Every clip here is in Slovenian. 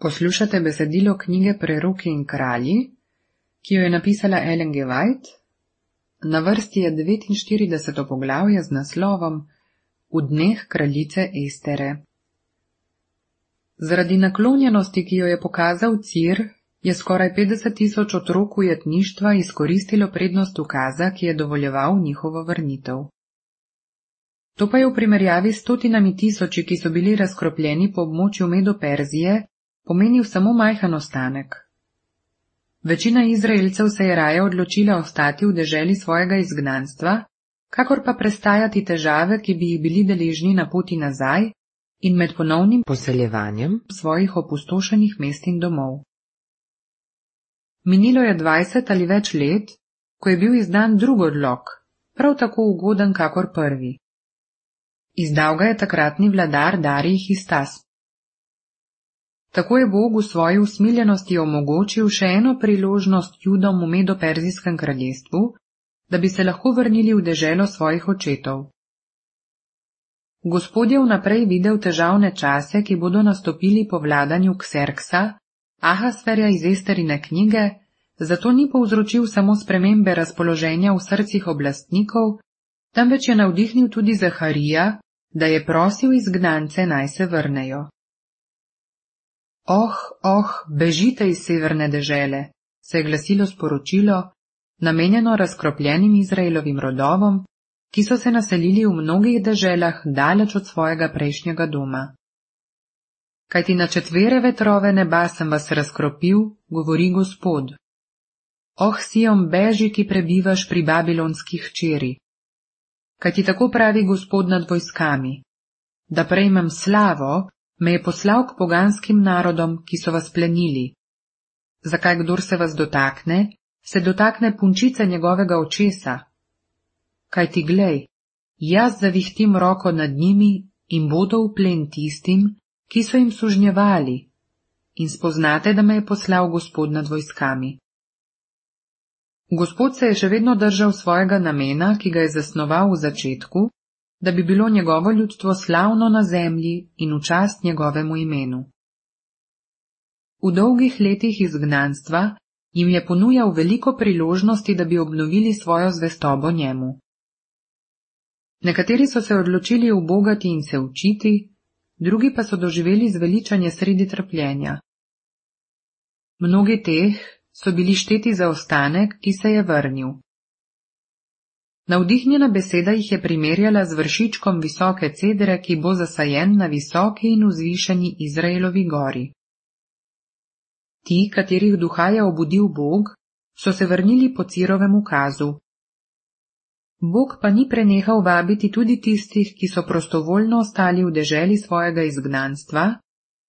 Poslušate besedilo knjige Preroki in kralji, ki jo je napisala Ellen G. White. Na vrsti je 49. poglavje z naslovom V dneh kraljice Estere. Zaradi naklonjenosti, ki jo je pokazal Cir, je skoraj 50.000 otrok ujetništva izkoristilo prednost ukaza, ki je dovoljeval njihovo vrnitev. To pa je v primerjavi s stotinami tisoči, ki so bili razkropljeni po območju Medo-Perzije, pomenil samo majhen ostanek. Večina Izraelcev se je raje odločila ostati v deželi svojega izgnanstva, kakor pa prestajati težave, ki bi jih bili deležni na poti nazaj in med ponovnim poseljevanjem svojih opustošenih mest in domov. Minilo je 20 ali več let, ko je bil izdan drug odlok, prav tako ugoden kakor prvi. Izdal ga je takratni vladar Darij Histas. Tako je Bog v svoji usmiljenosti omogočil še eno priložnost Judom v Medo-Perzijskem kraljestvu, da bi se lahko vrnili v deželo svojih očetov. Gospod je vnaprej videl težavne čase, ki bodo nastopili po vladanju Kserksa, Ahasverja iz Esterine knjige, zato ni povzročil samo spremembe razpoloženja v srcih oblastnikov, temveč je navdihnil tudi Zaharija, da je prosil izgnance naj se vrnejo. Bežite iz severne dežele, se je glasilo sporočilo, namenjeno razkropljenim Izraelovim rodovom, ki so se naselili v mnogih deželah daleč od svojega prejšnjega doma. Kajti na četvere vetrove neba sem vas razkropil, govori Gospod. Sion, beži, ki prebivaš pri babilonskih hčeri. Kajti tako pravi Gospod nad vojskami, da prejmem slavo, me je poslal k poganskim narodom, ki so vas plenili. Zakaj kdor se vas dotakne, se dotakne punčice njegovega očesa? Kajti glej, jaz zavihtim roko nad njimi in bodo v plen tistim, ki so jim sužnjevali, in spoznate, da me je poslal Gospod nad vojskami. Gospod se je še vedno držal svojega namena, ki ga je zasnoval v začetku, da bi bilo njegovo ljudstvo slavno na zemlji in v čast njegovemu imenu. V dolgih letih izgnanstva jim je ponujal veliko priložnosti, da bi obnovili svojo zvestobo njemu. Nekateri so se odločili ubogati in se učiti, drugi pa so doživeli zveličanje sredi trpljenja. Mnogi teh so bili šteti za ostanek, ki se je vrnil. Navdihnjena beseda jih je primerjala z vršičkom visoke cedre, ki bo zasajen na visoki in vzvišeni Izraelovi gori. Ti, katerih duha je obudil Bog, so se vrnili po Cirovem ukazu. Bog pa ni prenehal vabiti tudi tistih, ki so prostovoljno ostali v deželi svojega izgnanstva,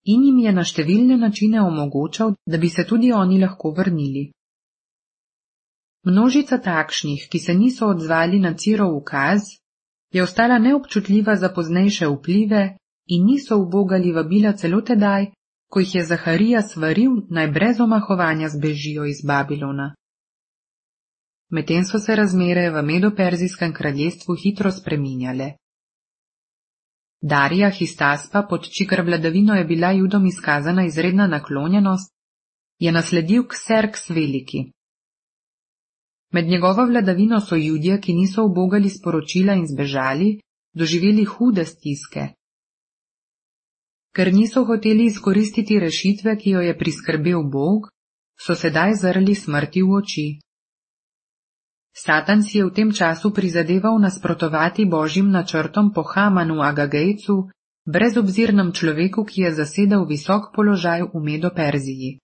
in jim je na številne načine omogočal, da bi se tudi oni lahko vrnili. Množica takšnih, ki se niso odzvali na Cirov ukaz, je ostala neobčutljiva za poznejše vplive in niso ubogali vabila celo tedaj, ko jih je Zaharija svaril, naj brez omahovanja zbežijo iz Babilona. Medtem so se razmere v Medo-Perzijskem kraljestvu hitro spreminjale. Darija Histaspa, pod čigar vladavino je bila Judom izkazana izredna naklonjenost, je nasledil Kserks veliki. Med njegovo vladavino so Judje, ki niso ubogali sporočila in zbežali, doživeli hude stiske. Ker niso hoteli izkoristiti rešitve, ki jo je priskrbel Bog, so sedaj zrli smrti v oči. Satan si je v tem času prizadeval nasprotovati Božjim načrtom po Hamanu Agagejcu, brezobzirnem človeku, ki je zasedal visok položaj v Medo-Perziji.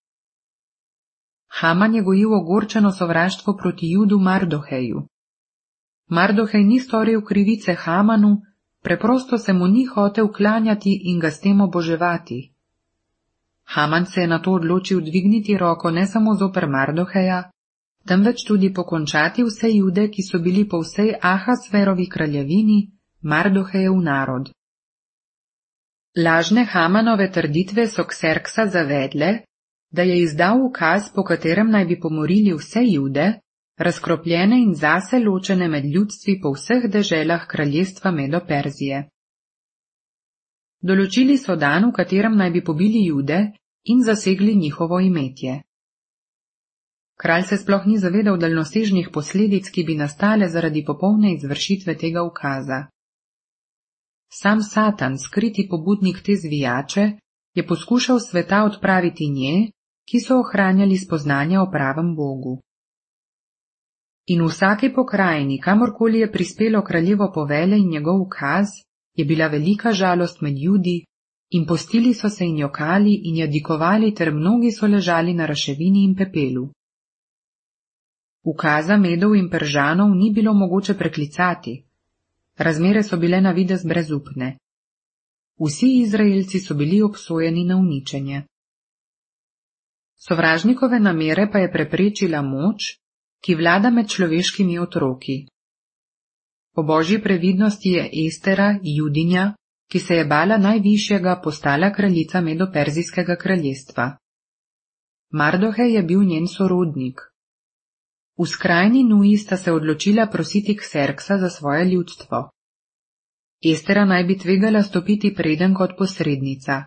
Haman je gojil ogorčeno sovraštvo proti Judu Mardoheju. Mardohej ni storil krivice Hamanu, preprosto se mu ni hotel klanjati in ga s tem oboževati. Haman se je nato odločil dvigniti roko ne samo zoper Mardoheja, temveč tudi pokončati vse Jude, ki so bili po vsej Ahasverovi kraljevini Mardohejev narod. Lažne Hamanove trditve so Kserksa zavedle, da je izdal ukaz, po katerem naj bi pomorili vse Jude, razkropljene in zase ločene med ljudstvi po vseh deželah kraljestva Medo-Perzije. Določili so dan, v katerem naj bi pobili Jude in zasegli njihovo imetje. Kralj se sploh ni zavedal daljnosežnih posledic, ki bi nastale zaradi popolne izvršitve tega ukaza. Sam Satan, skriti pobudnik te zvijače, je poskušal sveta odpraviti nje, ki so ohranjali spoznanja o pravem Bogu. In v vsaki pokrajini, kamorkoli je prispelo kraljevo povelje in njegov ukaz, je bila velika žalost med Judi, in postili so se in jokali in jadikovali, ter mnogi so ležali na raševini in pepelu. Ukaza Medov in Peržanov ni bilo mogoče preklicati. Razmere so bile na videz brezupne. Vsi Izraelci so bili obsojeni na uničenje. Sovražnikove namere pa je preprečila moč, ki vlada med človeškimi otroki. Po božji previdnosti je Estera, Judinja, ki se je bala najvišjega, postala kraljica Medo-Perzijskega kraljestva. Mardohej je bil njen sorodnik. V skrajni nuji sta se odločila prositi Kserksa za svoje ljudstvo. Estera naj bi tvegala stopiti preden kot posrednica.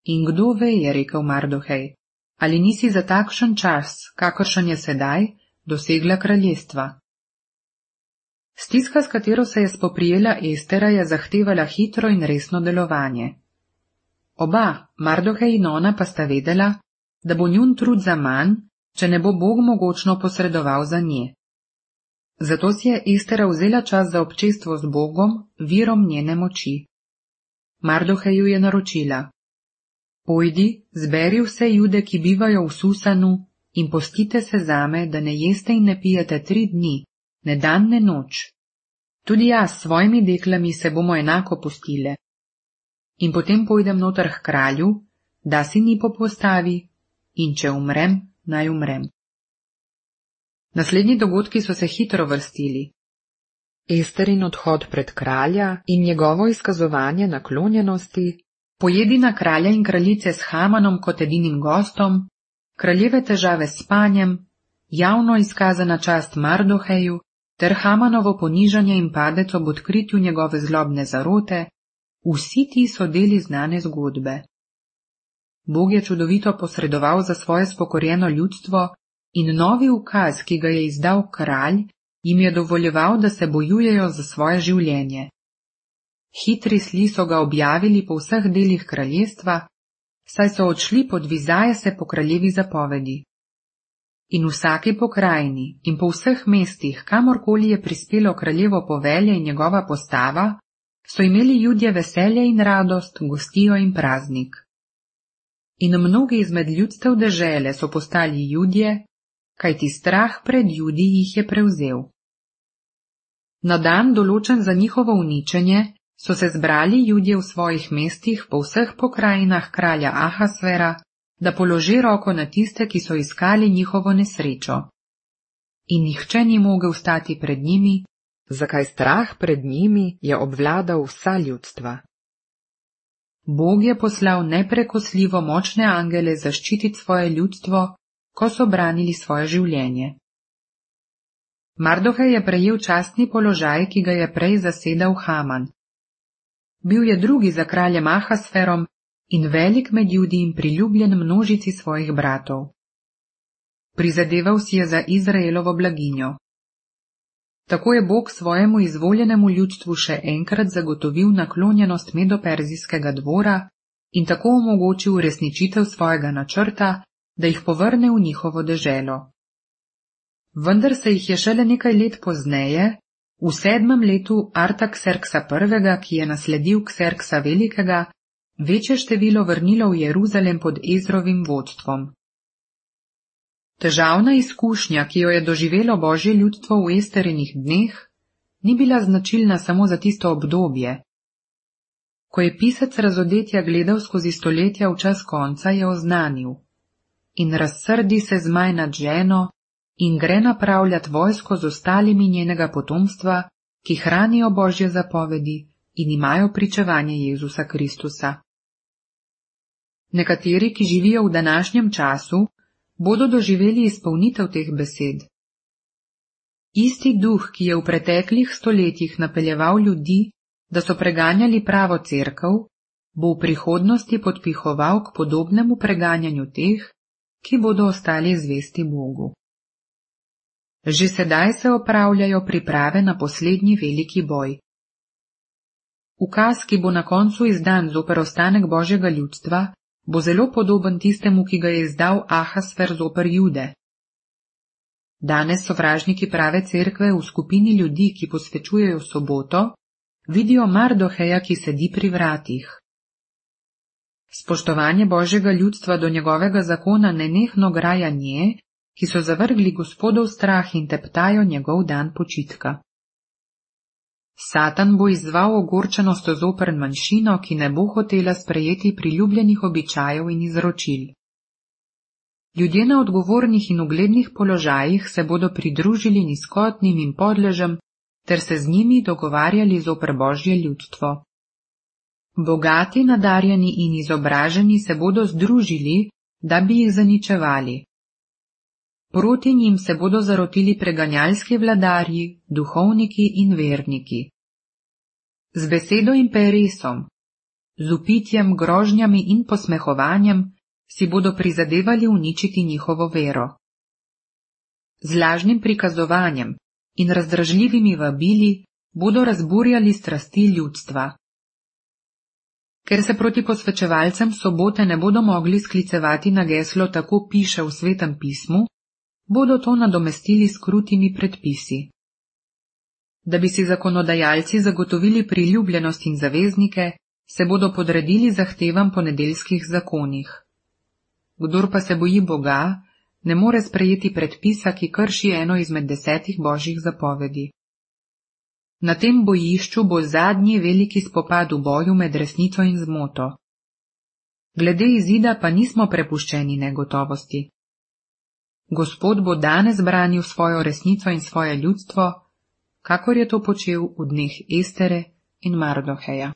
In kdo ve, je rekel Mardohej, ali nisi za takšen čas, kakršen je sedaj, dosegla kraljestva. Stiska, s katero se je spoprijela Estera, je zahtevala hitro in resno delovanje. Oba, Mardohej in ona, pa sta vedela, da bo njun trud zaman, če ne bo Bog mogočno posredoval za nje. Zato si je Estera vzela čas za občestvo z Bogom, virom njene moči. Mardoheju je naročila: Pojdi, zberi vse Jude, ki bivajo v Susanu, in postite se zame, da ne jeste in ne pijete 3 dni, ne dan ne noč. Tudi jaz s svojimi deklami se bomo enako postile. In potem pojdem noter k kralju, da si ni popostavi, in če umrem, naj umrem. Naslednji dogodki so se hitro vrstili. Esterin odhod pred kralja in njegovo izkazovanje naklonjenosti, pojedina kralja in kraljice s Hamanom kot edinim gostom, kraljeve težave s spanjem, javno izkazana čast Mardoheju ter Hamanovo ponižanje in padec ob odkritju njegove zlobne zarote, vsi ti so deli znane zgodbe. Bog je čudovito posredoval za svoje spokorjeno ljudstvo in novi ukaz, ki ga je izdal kralj, jim je dovoljeval, da se bojujejo za svoje življenje. Hitri sli so ga objavili po vseh delih kraljestva, saj so odšli podvizaje se po kraljevi zapovedi. In v vsaki pokrajini in po vseh mestih, kamorkoli je prispelo kraljevo povelje in njegova postava, so imeli Judje veselje in radost, gostijo in praznik. In mnogi izmed ljudstev dežele so postali Judje, kajti strah pred Judi jih je prevzel. Na dan, določen za njihovo uničenje, so se zbrali Judje v svojih mestih po vseh pokrajinah kralja Ahasvera, da položi roko na tiste, ki so iskali njihovo nesrečo. In nihče ni mogel stati pred njimi, zakaj strah pred njimi je obvladal vsa ljudstva. Bog je poslal neprekosljivo močne angele zaščititi svoje ljudstvo, ko so branili svoje življenje. Mardohej je prejel častni položaj, ki ga je prej zasedal Haman. Bil je drugi za kraljem Ahasferom in velik med Judi in priljubljen množici svojih bratov. Prizadeval si je za Izraelovo blaginjo. Tako je Bog svojemu izvoljenemu ljudstvu še enkrat zagotovil naklonjenost Medo-Perzijskega dvora in tako omogočil uresničitev svojega načrta, da jih povrne v njihovo deželo. Vendar se jih je šele nekaj let pozneje, v 7. letu Artakserksa I., ki je nasledil Kserksa Velikega, večje število vrnilo v Jeruzalem pod Ezrovim vodstvom. Težavna izkušnja, ki jo je doživelo božje ljudstvo v Esterinih dneh, ni bila značilna samo za tisto obdobje. Ko je pisec Razodetja gledal skozi stoletja v čas konca, je oznanil: In razsrdi se zmaj nad ženo in gre napravljat vojsko z ostalimi njenega potomstva, ki hranijo božje zapovedi in imajo pričevanje Jezusa Kristusa. Nekateri, ki živijo v današnjem času, bodo doživeli izpolnitev teh besed. Isti duh, ki je v preteklih stoletjih napeljeval ljudi, da so preganjali pravo cerkev, bo v prihodnosti podpihoval k podobnemu preganjanju teh, ki bodo ostali zvesti Bogu. Že sedaj se opravljajo priprave na poslednji veliki boj. Ukaz, ki bo na koncu izdan zoper ostanek Božjega ljudstva, bo zelo podoben tistemu, ki ga je izdal Ahasver zoper Jude. Danes sovražniki prave cerkve v skupini ljudi, ki posvečujejo soboto, vidijo Mardoheja, ki sedi pri vratih. Spoštovanje Božjega ljudstva do njegovega zakona nenehno graja nje, ki so zavrgli Gospodov strah in teptajo njegov dan počitka. Satan bo izzval ogorčenost zoper manjšino, ki ne bo hotela sprejeti priljubljenih običajev in izročil. Ljudje na odgovornih in uglednih položajih se bodo pridružili nizkotnim in podležem ter se z njimi dogovarjali zoper Božje ljudstvo. Bogati, nadarjeni in izobraženi se bodo združili, da bi jih zaničevali. Proti njim se bodo zarotili preganjalski vladarji, duhovniki in verniki. Z besedo in peresom, z vpitjem, grožnjami in posmehovanjem si bodo prizadevali uničiti njihovo vero. Z lažnim prikazovanjem in razdražljivimi vabili bodo razburjali strasti ljudstva. Ker se proti posvečevalcem sobote ne bodo mogli sklicevati na geslo tako piše v Svetem pismu, bodo to nadomestili s krutimi predpisi. Da bi si zakonodajalci zagotovili priljubljenost in zaveznike, se bodo podredili zahtevam po nedeljskih zakonih. Kdor pa se boji Boga, ne more sprejeti predpisa, ki krši eno izmed 10 Božjih zapovedi. Na tem bojišču bo zadnji veliki spopad v boju med resnico in zmoto. Glede izida pa nismo prepuščeni negotovosti. Gospod bo danes branil svojo resnico in svoje ljudstvo, kakor je to počel v dneh Estere in Mardoheja.